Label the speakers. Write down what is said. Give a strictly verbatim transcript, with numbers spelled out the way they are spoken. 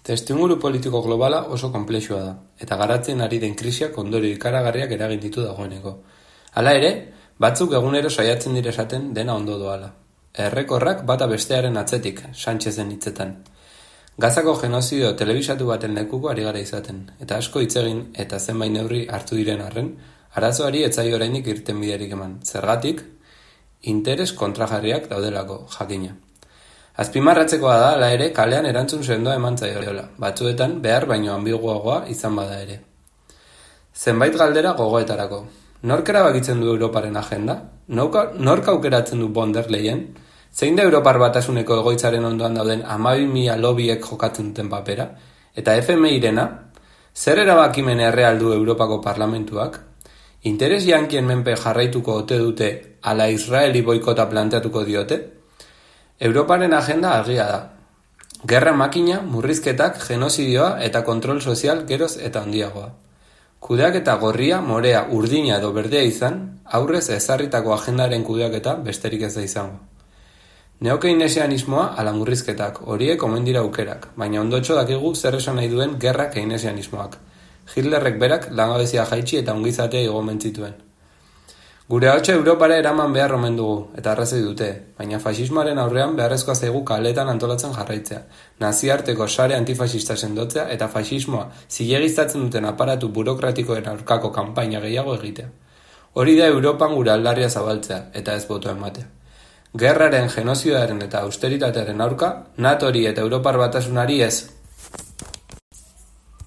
Speaker 1: Testuinguru politiko globala oso konplexua da, eta garatzen ari den krisiak ondorio ikaragarriak eragin ditu dagoeneko. Hala ere, batzuk egunero saiatzen dire esaten dena ondo doala. Errekorrak bata bestearen atzetik, Sánchezen hitzetan. Gazako genozidio telebisatu baten lekuko ari gara izaten, eta asko hitz egin eta zenbait neurri hartu diren arren, arazoari ez zaio oraindik irtenbiderik eman. Zergatik, interes kontrajarriak daudelako, jakina. Azpimarratzekoa da, hala ere, kalean erantzun sendoa eman zaiola, batzuetan behar baino ambiguagoa izan bada ere. Zenbait galdera gogoetarako. Nork erabakitzen du Europaren agenda? Nork aukeratzen du von der Leyen? Zein da Europar Batasuneko egoitzaren ondoan dauden hamabi mila lobiek jokatzen duten papera? Eta F M I-rena? Zer erabakimen erreal du Europako Parlamentuak? Interes jankien menpe jarraituko ote dute ala Israeli boikota planteatuko diote? Europaren agenda argia da. Gerra makina, murrizketak, genozidioa eta kontrol sozial geroz eta handiagoa. Kudeaketa gorria, morea, urdina edo berdea izan, aurrez ezarritako agendaren kudeaketa besterik ez da izango. Neokeinesianismoa ala murrizketak, horiek omen dira aukerak, baina ondotxo dakigu zer esan nahi duen gerra keinesianismoak. Hitlerrek berak langabezia jaitsi eta ongizatea igomen zituen. Gure ahotsa Europara eraman behar omen dugu, eta arrazoi dute, baina fasismoaren aurrean beharrezkoa zaigu kaletan antolatzen jarraitzea, naziarteko sare antifasista sendotzea eta fasismoa zilegiztatzen duten aparatu burokratikoen aurkako kanpaina gehiago egitea. Hori da Europan gure aldarria zabaltzea, eta ez boto ematea. Gerraren, genozioaren eta austeritatearen aurka, natori eta Europar Batasunari ez.